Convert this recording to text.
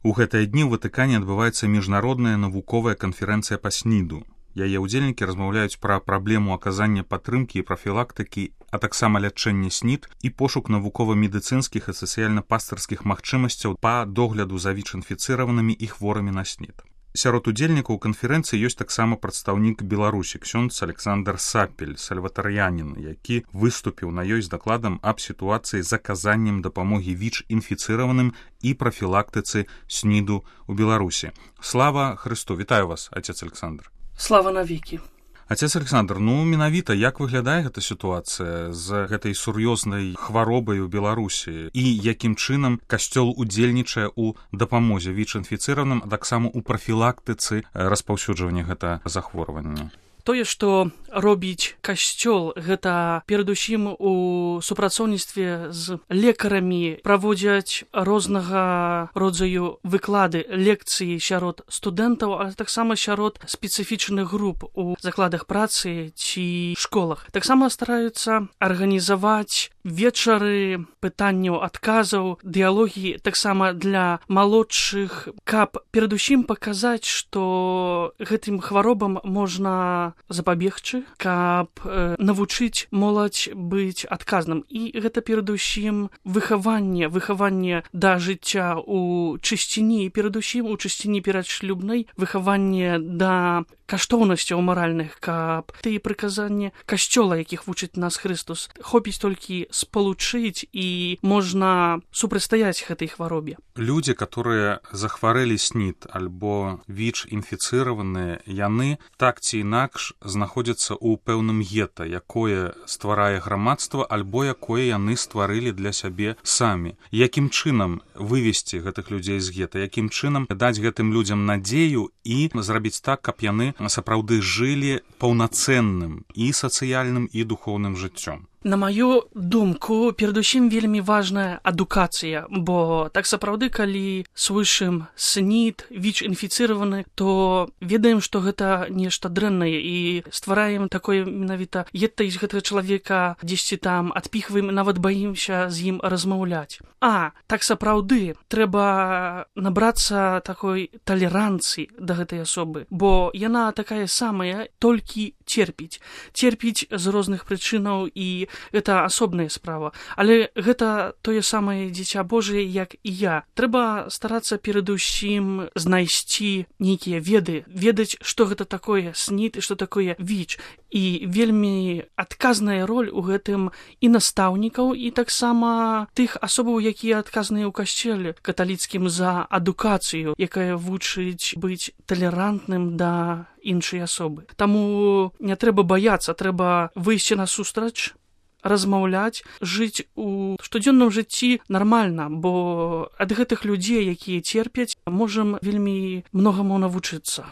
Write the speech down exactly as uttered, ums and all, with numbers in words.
У гэтыя дні ў Ватыкане адбываецца міжнародная навуковая канферэнцыя па сніду. Яе ўдзельнікі размаўляюць пра праблему аказання падтрымкі і прафілактыкі, а таксама лячэння снід і пошук навукова-медыцынскіх і сацыяльна-пастырскіх магчымасцяў па догляду за ВІЧ-інфіцыраванымі і хворымі на снід. Сярод удзельнікаў канферэнцыі ёсць таксама прадстаўнік Беларусі, ксёндз Александр Сапель, сальватар'янін, які выступіў на ёй з дакладам аб сітуацыі з аказаннем дапамогі ВІЧ-інфіцыраваным і прафілактыцы сніду ў Беларусі. Слава Хрысту! Вітаю вас, отец Александр. Слава навекі. Отец Александр, ну менавіта як выглядае гэта сітуацыя з гэтай сур'ёзнай хваробай у Беларусі і якім чынам касцёл удзельнічае ў дапамозе ВІЧ-інфіцыраваным, а таксама ў прафілактыцы распаўсюджвання гэтага захворвання? Тое, што робіць касцёл, гэта перадусім у супрацоўніцтве з лекарамі, праводзяць рознага родзаю выклады, лекцыі сярод студэнтаў, а таксама сярод спецыфічных груп у закладах працы ці школах. Таксама стараюцца арганізаваць вечары пытанняў, адказаў, дыялогі таксама для малодшых, каб перадусім паказаць, што гэтым хваробам можна запабегчы, каб э, навучыць моладзь быць адказным. І гэта перадусім выхаванне, выхаванне да жыцця у чысціні, і перадусім у чысціні перадшлюбнай, выхаванне да каштоўнасцяў маральных, каб тыя прыказанні касцёла, якіх вучыць нас Хрыстус, хопіць толькі спалучыць і можна супрацьстаяць гэтай хваробе. Людзі, которые захварэлі снід альбо ВІЧ-інфіцыраваныя, яны так ці інакш знаходзяцца ў пэўным гета, якое стварае грамадства альбо якое яны стварылі для сябе самі. Якім чынам вывесці гэтых людзей з гета, якім чынам даць гэтым людзям надзею і зрабіць так, каб яны сапраўды жылі паўнацэнным і сацыяльным і духоўным жыццём? На маю думку, перадусім вельмі важная адукацыя, бо так сапраўды, калі слышым снід, ВІЧ-інфіцыраваны, то ведаем, што гэта нешта дрэннае і ствараем такое менавіта гета з гэтага чалавека дзесьці там адпіхваем, нават баімся з ім размаўляць. А так сапраўды трэба набрацца такой талеранцыі да гэтай асобы, бо яна такая самая, толькі церпіць. Церпіць з розных прычынаў, і гэта асобная справа. Але гэта тое самае дзіця Божие, як і я. Трэба старацца перадусім знайсці нейкія веды, ведаць, што гэта такое снід і што такое ВІЧ. І вельмі адказная роль у гэтым і настаўнікаў, і таксама тых асобаў, якія адказныя ў касцеле каталіцкім за адукацыю, якая вучыць быць талерантным да іншай асобы. Таму не трэба баяцца, трэба выйсці насустрач, размаўляць, жыць у штодзённым жыцці нармальна, бо ад гэтых людзей, якія церпяць, можам вельмі многаму навучыцца.